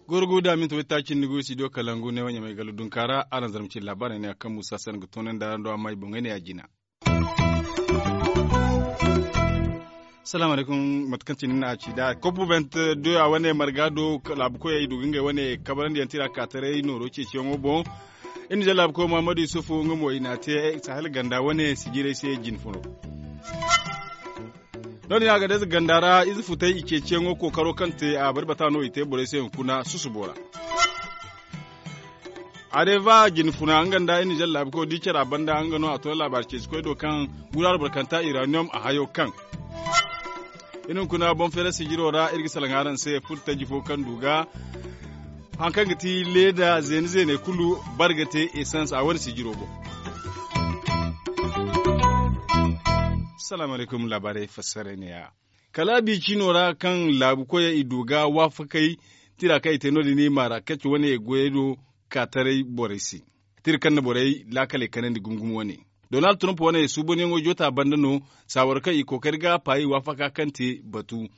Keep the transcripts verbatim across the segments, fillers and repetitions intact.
Gorgo da minti waytaaci ni go studio kalangu ne wanya mai galo dunkaara araŋ zarma cine laabaarey ne a kaŋ muusa se araŋ ga toonandi araŋ do amma i boŋey ne ya jina. Salaamu alaykum. Mate kaŋ cine ni na a ci nd'a kopu bent doya wane marga do laabu koyey i du ga ngey wane kabarandiyaŋ tira kaataray nooro ceeciyaŋo boŋ. Iri na jaŋ laabu koy muhammadu yusufu nga mo i n'a te sahel ganda wane sijirey se jine furo. No- din a ga day ize ganda ra ize futay i ceeciyaŋo kookaro kaŋ te a bari bata no i te borey se hunkuna susubo ra. Areva jine funa nga nda iri na jaŋ laabu koy di care a banda nga no a to laabaari ceeci koy do kaŋ guraaro barkanta iraniyom a hayo kaŋ iri hunkuna boŋ feera sijiro ra iri ga salaŋ araŋ se furo taji fo kaŋ du ga hari kaŋ ga ti leeda zeene zeene kulu bari ga te esans a wane sijiro boŋ. Salaamu alaykum laabaarey fassarey ne ya kala biicino ra kaŋ laabu koyey i du ga waafakey tira kaŋ i te no- din i maara kacce wane goyey do ka taray borey se tira kaŋ na borey laakaley kanandi gumo gumo wane. Donald trump wane suubanyaŋo joota banda no saawara kaŋ i kookari ga paayi waafaka kaŋ te batu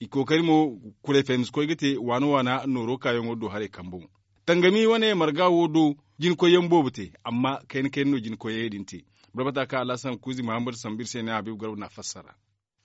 i kookari mo kuray fahimsi koy ga te waana waana nooro kaayaŋo do haray kambo. Tangami wane marga wo do jinkoyyaŋ boobo te amma kayna kayna no jinkoyyaŋey din te. Barbata kaŋ alhasan kuuzi muhammad sambu iri se ne habiibu garba na a fassara.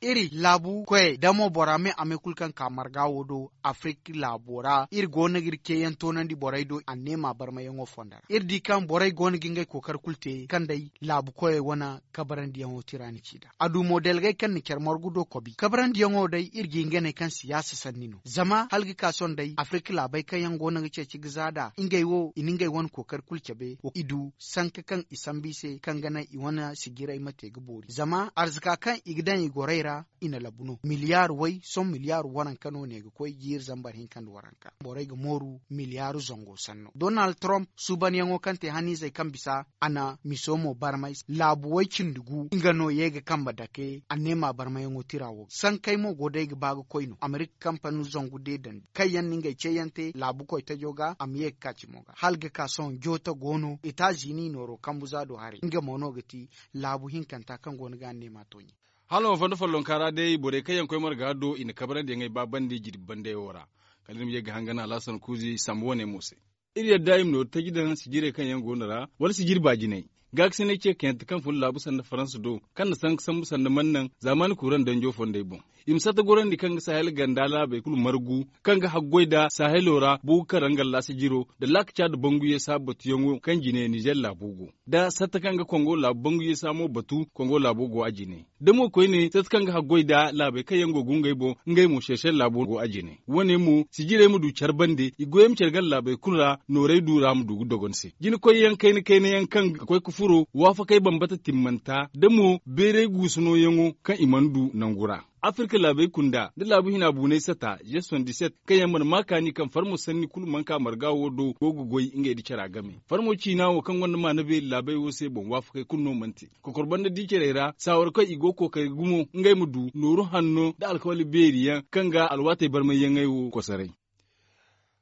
Iri laabu koyey da mo bora me a me kulu kaŋ ka marga wo do afirki laabo ra iri go no ga iri ceeyaŋ toonandi borey do anneema barmayaŋo fonda ra iri di kaŋ borey go no ga ngey kookari kulu te kaŋ day laabu koyey wane kabarandiyaŋo tira ni ci nd'a a du mo dalgay kaŋ na care margu do kobi kabarandiyaŋo day iri ga hinganey kaŋ siyaasa sanni no zama hala ga ka sohõ day afirka laabey kaŋ yaŋ go no ga ceeci ga za nd'a ngey wo i na ngey wane kookari kulu cabe i du sanka kaŋ i sambu i se kaŋ ga naŋ i wane sijiray ma te ga boori zama arzaka kaŋ i ga daŋ i gorey ra i na labu no miliyaar way sohõ miliyaar waranka no ne ga koy jiiri zambar hinka nda waranka borey ga mooru miliyaaru zango sanno donald trump suubanyaŋo kaŋ te haniizey kaŋ bisa a na miso mo barmay laabu way cindi gu nga no ye ga kambe dake anneema barmayaŋo tira wo sankey mo go day ga ba ga koy no amerika kampani zangu de dandi kaŋ yaŋ na ngey ceeyaŋ te laabu koytajo ga a ma ye ga ka cimo ga hala ga ka sohõ joota go no etazini nooro kambu za do haray nga mo no ga ti laabu hinkanta kaŋ go no ga anneema tooɲe. Hala wo fondo follonka ra day borey kaŋ yaŋ koy marga do i na kabarandiyaŋey ba bande jirbi bandey wo ra kala iri ma ye ga hangan alhasan kuuzi sambu wane mo se. Iri yadda i ma nooru taji daŋ sijirey kaŋ yaŋ go no ra wala sijiri baajinay gaakasinay ce kaŋ yaŋ te kaŋ fun laabu sanda faransa do kaŋ na sanka sambu sanda mana naŋ zaamaani kuuraŋ danjo fondey boŋ. I ma satta gorandi kaŋ ga sahel ganda laabey kulu margu kaŋ ga haggoy nda sahelo ra bugu kaŋ ra nga laasa jiro nda laaka caada bangu yeesa batuyaŋo kaŋ jine nizer laabo go nda satta kaŋ ga kongo laabu bangu yeesa mo batu kongo laabo go a jine da mo koyne satta kaŋ ga haggoy nda laabey kaŋ yaŋ go ga ngey boŋ ngey mo seesel laabo go a jine. Wane mo sijirey ma du care bande i goyey ma care ganda laabey kulu ra noorey du ra ma du ga dogon se jina koyyaŋ kayna kayna yaŋ kaŋ ga koy ga furo waafakey bambata timmanta da mo beeray guusu nooyaŋo kaŋ i mana du nangu ra. Afirka laabey kunda nda laabu hina buunay sata je soixante-dix-sept kaŋ yaŋ mana ma kaani kaŋ farmo sanni kulu mana ka marga wo do go ga goy ngey nda cara game farmo ciina wo kaŋ gonda maana beeri laabey wo se boŋ waafakey kulu no mana te. Kokor banda di carey ra saawara kaŋ i go ga kookari gumo ngey ma du nooru hanno nda alkawali beeri yaŋ kaŋ ga alwaatey barmayyaŋey wo kosoray.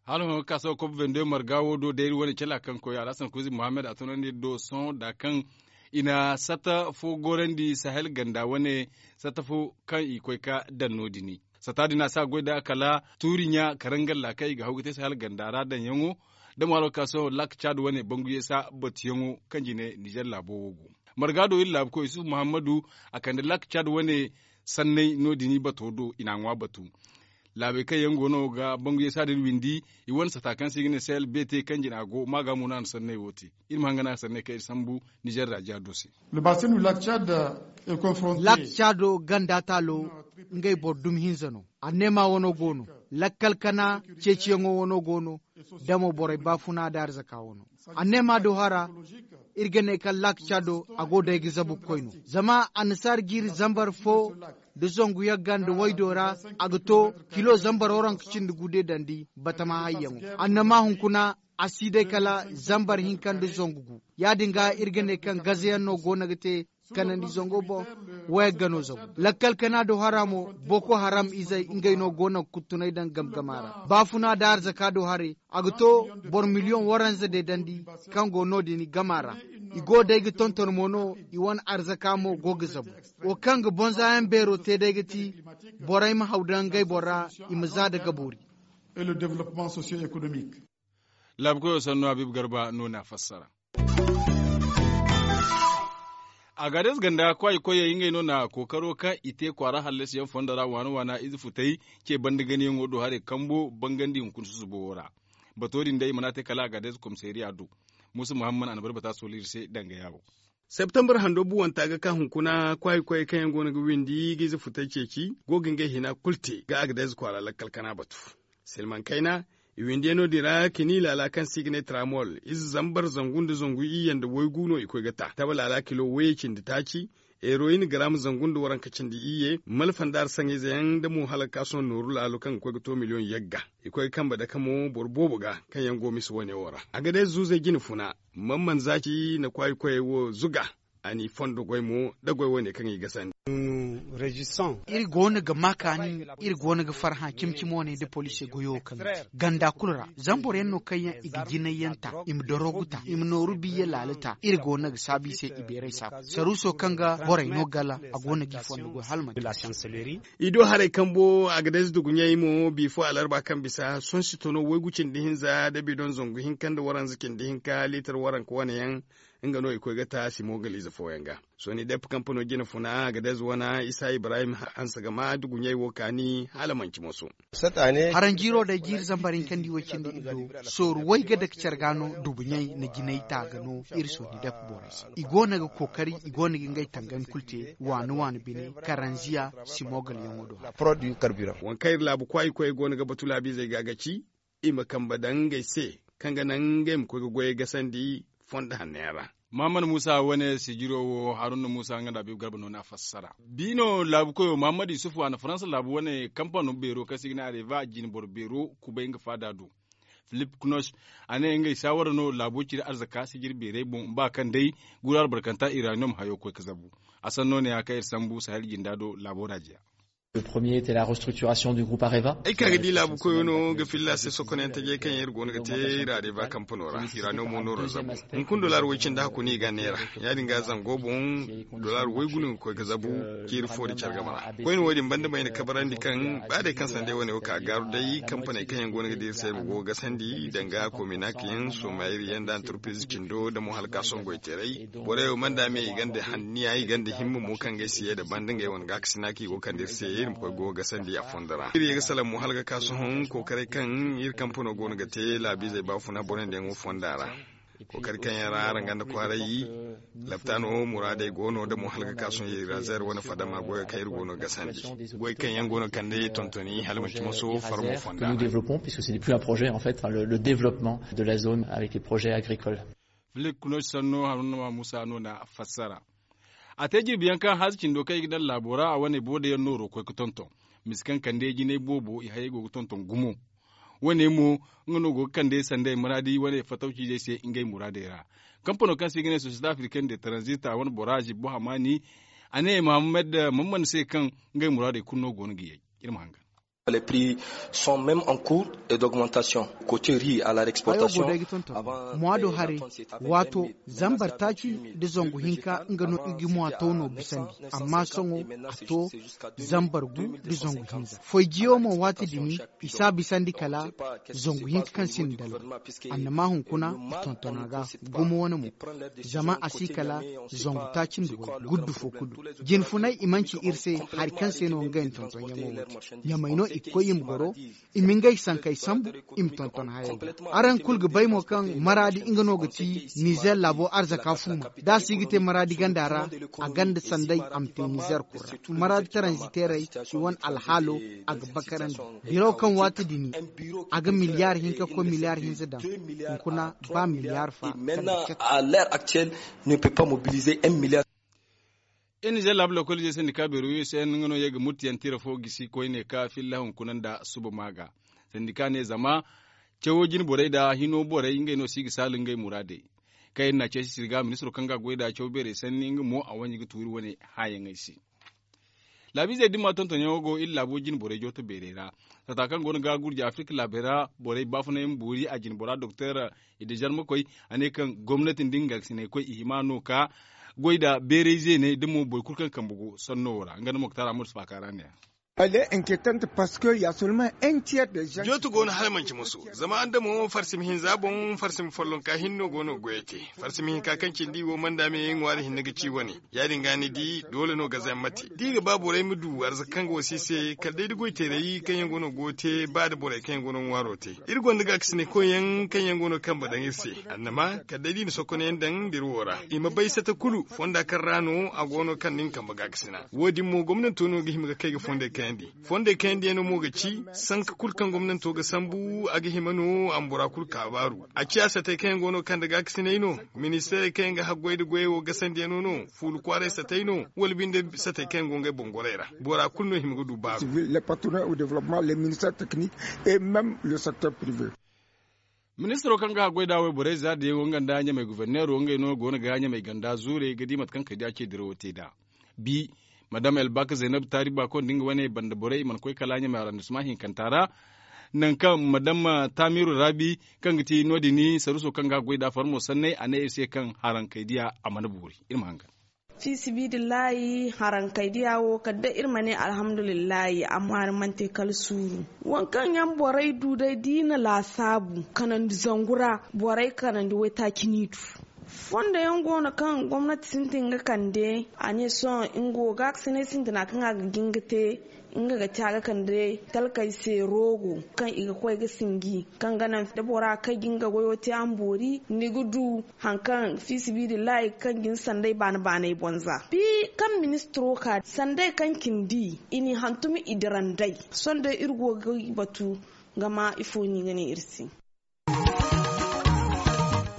Hala hõ ga ka sohõ kob vende marga wo do day iri wane cala kaŋ koy alhasan kuuzi muhammad a tunandi iri do sohõ da kaŋ i na satta fo gorandi sahel ganda wane satta fo kaŋ i koy ga daŋ no- din. Satta din a si a goy nd'a kala tuuri ɲa karangalla kaŋ i ga haw ga te sahel ganda ra daŋyaŋo da mo hala ga ka sohõ laak caad wane bangu yeesa batuyaŋo kaŋ jine nizer laabo wo go. Marga do iri laabu koy yusufu muhammadu a kande laak caad wane sanney no- din i bato do i n'a ŋwa batu. Laabey kaŋ yaŋ go no ga bangu yeesa din windi i wane sata kaŋ se i ga ne sahel beete kaŋ jine a go maaga mo no a na sanney wo te. Iri ma hanga no a sanney kaŋ iri sambu nizer ra jaado se. Laak caado ganda taalo ngey boro dumi hinza no. Anneema wano go no. Lakkal kana ceeciyaŋo wano go no. Da mo borey baafuna da arzaka wano. Anneema do hara iri ga ne kaŋ laak caado a go day ga zabu ga koy no. Zama annasaara jiiri zambar fo nda zangu yagga nda waydo ra a ga to kilo zambar waranka cindi gu de dandi batama hayyaŋo. Annama hunkuna a si day kala zambar hinka nda zangu gu. Ya- din ga iri ga ne kaŋ gazayaŋ no go no ga te. Kanandi zango boŋ. Waya ga no zabu lakkal kana do hara mo. Boko haram izey ngey no go no ga kuttunay daŋ gamgama ra. Baafuna da arzaka do haray a ga to boro miliyoŋ waranza deedandi. Kaŋ go no- din gama ra i go day ga tonton mo no. I wane arzaka mo go ga zabu. Wo kaŋ ga bonza yaŋ beero te day ga ti borey ma haw daŋ ngey boro ra. I ma za da ga boori. Laabu koyo sannu habiibu garba no na a fassara. Agades ganda kwaayi koyey ngey no na kookaro kaŋ i te kwaara hallasiyaŋ fondo ra waana waana ize futey ce banda ganayaŋo do haray kambo bangandi hunkuna susubo wo ra. Bato din day i mana te kala agades komisariya do. Muusa muhammad a na bari bata soolu iri se danga yaawo. Septembar hando buwanta ga ka hunkuna kwaayi koyey kaŋ yaŋ go no ga windi ga ize futey ceeci go ga ngey hina kulu te ga agades kwaara lakkal kana batu. Silmaŋ kayna i windiyaŋo din ra kini laala kaŋ se i ga ne tramol ize zambar zangu nda zangu iyye nda waygu no i koy ga ta taba laala kilo wayye cindi taaci. Heroyin garam zangu nda waranka cindi iyye malfa nda arsaŋ ize yaŋ nda mo hala ga ka sohõ nooru laalo kaŋ ga koy ga to miliyoŋ yagga. I koy ga kambe dake mo boro boobo ga kaŋ yaŋ go misa wane wo ra a ga day zuuzey jine funa. Mamman zaaci na kwaayi koyey wo zuga. A n'i fondo goy mo nda goy wane kaŋ i gasandi. Iri go no ga ma kaani. Iri go no ga farhã cimi cimi wane nda poliisey goyo kaŋ ga ti ganda kulu ra zama boro yaŋ no kaŋ yaŋ i ga jinay yaŋ ta i ma dorogu ta i ma nooru biyye laala ta iri go no ga saabu i se i beeray saabu saruuso kaŋ ga borey no gala. A go no ga i fondo goy hala manti. I do haray kambo a ga day za duguɲey mo bifo alarba kaŋ bisa sonsi tono waygu cindi hinza nda bidon zangu hinka nda waranza cindi hinka liitar waranka wane yaŋ. Nga no i koy ga ta simogalize fooyaŋ ga. Soni dep kampano jine funa a ga day za wana isa ibrahim hanse ga ma duguɲey wo kaani hala manci moso. Haranjiiro day jiiri zambar hinkandi way cindi iddo sooru way ga dake care ga no dubuɲey na jinay ta ga no. Iri sooni dep borey se i go no ga kookari i go no ga ngey tangandi kulu te waani waani bine karanziya simogalyaŋo do. Waŋ kaŋ iri laabu kwaayi koyey go no ga batu laabiizey ga ga ci i ma kambe daŋ ngey se kaŋ ga naŋ ngey ma koy ga goyey gasandi fondo hanno yaŋ ra. Muhammad muusa wane sijiro wo haruna muusa nga nda habiibu garba no n'a fassara. Bi no laabu koyo muhammad yusufu a na faransa laabu wane kampano beero kaŋ se i ga ne areva jinboro beero kubay nga faada do. Filip knoch a ne ngey saawara no laabo ciri arzaka sijiri beerey boŋ ba kaŋ day guru albarkanta iraniyom hayo koy ga zabu. A sanno ne ya kaŋ iri sambu sahel jinda do laabo ra jeya. Ay ka ga di laabu koyo no ga filla se sokonayaŋ tajey kaŋ yaŋ iri go no ga te iri areva kampano ra ira no mo nooro zabu. Hunkuna dollar way cindi hakku no i ga neera ya- din ga zango boŋ dollar waygu no ga koy ga zabu. Ciiri fo da care game ra koyne wo- din banda mayna kabarandi kaŋ ba day kaŋ sanday wane wo ka gaaru day kampaney kaŋ yaŋ go no ga di iri se iri ma go ga gasandi danga kominaka yaŋ somayri yaŋ nda antarpiz cindo nda mo hala ka songoy teeray. Borey wo mana da me i gonda hanniya i gonda himma mo kaŋ ga ay si ye nda banda ngey wane gaakasina kaŋ i go ga kande iri se iri ma koy go ga gasandi a fondo ra iri ye ga salaŋ mo hala ga ka sohõ kookaray kaŋ iri kampano go no ga te laabiizey baafuna borey nda yaŋo fonda ra. Kookari kaŋ yaŋ ra araŋ gonda kwaaray laptaano muraadey go no nda mo hala ga ka sohõ iri ra zeer wane fadama goyo kaŋ iri go no ga gasandi goy kaŋ yaŋ go no ga kande tontoni hala manti maso farmo fonda ra. Développement puisque c'est plus un projet en fait le développement de la zone avec les projets agricoles. Filip kunoci sanno haruna ma muusa no na fassara. A te jirbi yaŋ kaŋ haaza cindo kaŋ i ga daŋ laabo ra a wane booda yaŋ nooro koy ga tonton. Misa kaŋ kande jinay boobo i hayey go ga tonton gumo. Wane mo nga no go ga kande sanday muraadi wane fatawciizey se ngey muraadey ra. Kampano kaŋ se i ga ne société africaine de transit a wane bora zibbo hamaani. A ne mohammed mamman se kaŋ ngey muraadey kulu no go no ga yay. Iri ma hangan. Les prix sont même en cours et d'augmentation. Côté riz à la hayo go day ga tonton. Mois do hare waato zambar taaci nda zangu hinka nga no i ga mois taw no bisandi. Amma sohõ a to zambar gu nda zangu hinza foy jiyo mo waati dini. I si a bisandi kala zangu hinka kaŋ sinda dalba. Annama hunkuna i tonton a ga gumo wane mo. Zama a si kala zangu taaci nda way guddu fo kulu. Jinfunay i manci iri se hari kaŋ se no ngey na tonton yaŋo wo te. Ɲamay no i ga koy i ma goro i ma ngey sankey sambu. I ma tonton hayey ga araŋ kulu ga bay mo kaŋ maraadi nga no ga ti nizer laabo arzaka fuuma da a si ga te maraadi ganda ra. A ganda sanday a ma te nizer kulu ra maraadi taranziteerey i wane alhaalo. A ga bakarandi biro kaŋ waati dini a ga miliyar hinka koy miliyar hinza daŋ. Hunkuna ba miliyar fa. Kaŋ ga catu. À l'heure actuelle ne peut pas mobiliser un milliard. Iri nizer laabu lokoliizey sandika beero u s n nga no ye ga murtiyaŋ tira fo gisi koyne ka filla hunkuna nda suba maaga. Sandika ne zama cawo jine borey nda hino borey ngey no si ga saala ngey muraadey. Kaŋ iri n'a ceeci sirga ministiro kaŋ ga a goy nd'a caw beerey sanni nga mo a wanji ga tuuri wane hããyaŋey se. Laabiizey dimma tontonyaŋo go iri laabo jine borey jooto beerey ra. Sata kaŋ go no ga gurja afirka laabey ra borey baafunay ma boori a jine bora doktor, i da jarmakoy a ne kaŋ gomnati nda nga gaakasinaykoy i hima no ka goy nda beeray zeeney da mo boro kulu kaŋ kambe go sanno wo ra nga nda moktar amadu faaka ra ne ya. Jooto go no hala manci musu zama adamo farsima hinza boŋ farsima follonka hinne no go no ga goyey te. Farsima hinka kaŋ cindi wo manda me ŋwaari hinne ga ci wane. Ya- din ga ni di doole no ga zamma te da i ga ba borey ma du arzaka kaŋ ga wasa i se kala day da goy teeray kaŋ yaŋ go no ga wo te ba da borey kaŋ yaŋ go no ga ŋwaaro te. Iri gonda gaakasinay koyyaŋ kaŋ yaŋ go no ga kambe daŋ iri se. Annama kala day da i na sokonayaŋ daŋ nda iri wo ra i ma bay sata kulu fonda kaŋ ra no a go no kaŋ da ni kambe gaakasina wo- din mo gomnanto no ga hima ga kay ga fondey kayandi. Fondey kayandiyaŋo mo ga ci sanka kulu kaŋ gomnanto ga sambu a ga hima no a ma bora kulu kaabaaru. A ciya satey kaŋ yaŋ go no kaŋ nda gaakasinay no, ministeerey kaŋ yaŋ ga haggoy nda goyey wo gasandiyaŋo no, fuula kwaaray satey no, wala binde satey kaŋ yaŋ go ngey boŋ gorey ra. Bora kulu no hima ga du baaru. Ministiro kaŋ ga haggoy nd'a wayborey za diyaŋo nga nda ɲamey guverneero ngey no go no ga ɲamey ganda zuurey ga di mate kaŋ kay da ce dirawo te nd'a. Bi madam elbak zaynab taari baako nda nga wane banda borey i mana koy kala ɲamey arrondissement hinkanta ra. Nangu kaŋ madam tamiru raabi kaŋ ga ti no- din saruuso kaŋ ga a goy nd'a farmo sanney a ne iri se kaŋ harankey diya a mana boori. Iri ma hangan. Fi sibidillahi harankey diya wo kala day iri ma ne alhamdulillahi amma ni mana te kala suuru. Waŋ kaŋ yaŋ borey du day da i na laasaabu kanandi zangu ra, borey kanandi waytaaci n'i du. Fondo yaŋ go no kaŋ gomnati sintin ga kande a ne sohõ nga wo gaakasinay sintina kaŋ a ga jin ga te. Nga ga te a ga kande talkey se roogo kaŋ i ga koy ga sinji kaŋ ga naŋ da bora kay ga nga goyo te a ma boori ni ga du. Hari kaŋ fi sibidillahi kaŋ ga ni sanday baana baanay boŋ za bi kaŋ ministiro ka sanday kaŋ cindi i n'i hantum i dira nd'ey. Sohõ day iri go ga batu ga ma ifo no i ga ne iri se.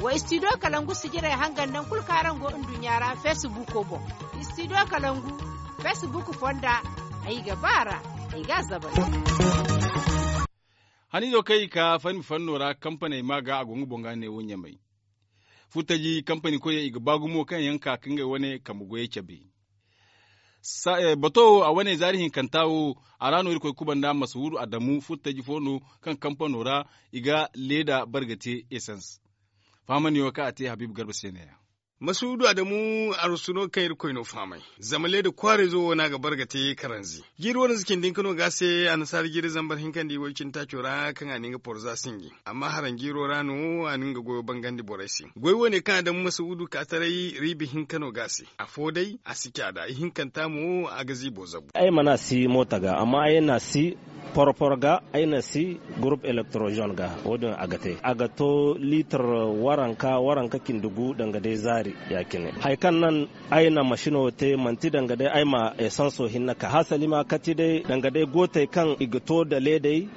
Wa istidiyo kalangu sijirey hangan nangu kulu kaŋ araŋ go nduɲɲa ra feesibuuko boŋ. Istidiyo kalangu feesibuuko fonda ay ga ba a ra. Ay ga a zabari. Haniizo kaŋ i ka fanni fanno ra kampaney ma ga a go nga boŋ ga ne wo ɲamay. Furtaji kampani koyey i ga ba gumo kaŋ yaŋ ka ka ngey wane kambe goyey cabe. Bato wo a wane zaari hinkanta wo, a ra no irkoy kubanda masuhuudu adamu furtaji fo no kaŋ kampano ra i ga leeda barga te esans. Fahamandi wo kaŋ a te habiibu garba se ne- ya. Masuhuudu adamu arsu no kaŋ irkoy no fahamay. Zama leeda kwaarayzo wo no a ga barga te karanzi. Jiiri wane za cindi hinka no ga a se annasaara jiiri zambar hinka nda i way cindi taaco ra kaŋ a na nga porza sinji. Amma haranjiiro ra no a na nga goyo bangandi borey se. Goy wane kaŋ a daŋ masuudu ka taray riibi hinka no ga a se. Afo day a si caada ihinkanta mo a ga ziibo zabu. Ay mana si moota ga amma ay na si porpor ga ay na si gurup elektorozon ga. Wo- din a ga te a ga to liitar waranka waranka cindi gu danga day zaari. Ya- cine hari kaŋ naŋ ay na masino te manti danga day ay ma esanso hinne ka hasali ma kati day danga day gootey kaŋ i ga to da leedey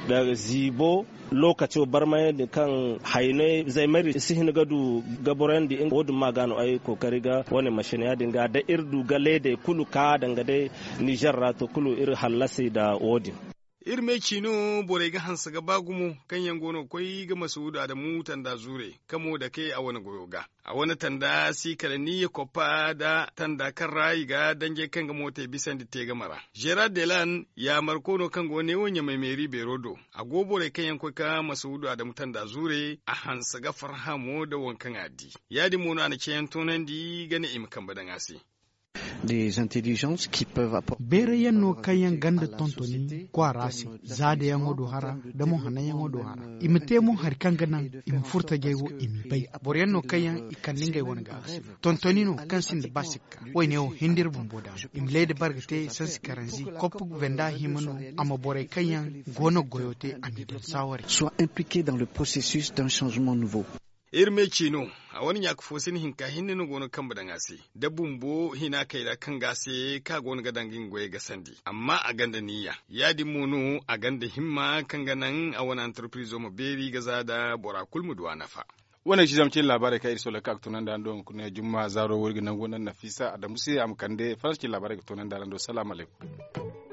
da ziibo. Lookaco barmayandi kaŋ haynay zaymari si hin ga du ga borayandi nga wo- din ma ga no ay kookari ga wane masina ya- din ga da iri du ga leedey kulu ka danga day nizer ra to kulu iri hallasi nda wo- din. Iri me ciino borey ga hanse ga ba gumo kaŋ yaŋ go no ga koy ga masuudu adamu tanda zuure kamo dake a wane goyo ga. A wane tanda si kala niiya koppa nda tanda kaŋ ra i ga danjey kaŋ ga mootey bisandi te game ra. Zeera delan yaamarko no kaŋ go neewo ɲamay meeri beero do. A go borey kaŋ yaŋ koy ka masuudu adamu tanda zuure a hanse ga farhã mo nda waŋ kaŋ a di. Ya- din mo no a na ceeyaŋ toonandi ga ne i ma kambe daŋ a se. Beerayyaŋ no kaŋ yaŋ ganda tontoni kwaara se, za da yaŋo do hara nda mo hananyaŋo do hara. I ma te mo hari kaŋ ga naŋ i ma furtajey wo i m'i bay. Boroyaŋ no kaŋ yaŋ i kande ngey wane gaaba se. Tontoni no kaŋ sinda ba sikka. Wayne wo hin da iri bumbo daama i ma leeda barga te sansi karanzi koppu venda hima no. A ma borey kaŋ yaŋ go no ga goyo te a m'i daŋ saaware. Soit impliqué dans le processus d'un changement nouveau. Iri me ciino a wane ɲaaka fo sina hinka hinne no go no ga kambe daŋ a se. Da bumbo hina kayra kaŋ ga a se kaŋ a go no ga daŋ ga nga goyey gasandi amma a gonda niiya. Ya- din mo no a gonda himma kaŋ ga naŋ a wane antarpirizo ma beeri ga za nda bora kulu ma du a nafa. Wane ga ci zama cine laabaarey kaŋ iri soolay ka ga toonandi araŋ do hunkuna jumma zaaro wo iri ga nangu naŋ nafiisa adamu se a ma kande faransa cine laabaarey ga toonandi araŋ do salaamu alaykum.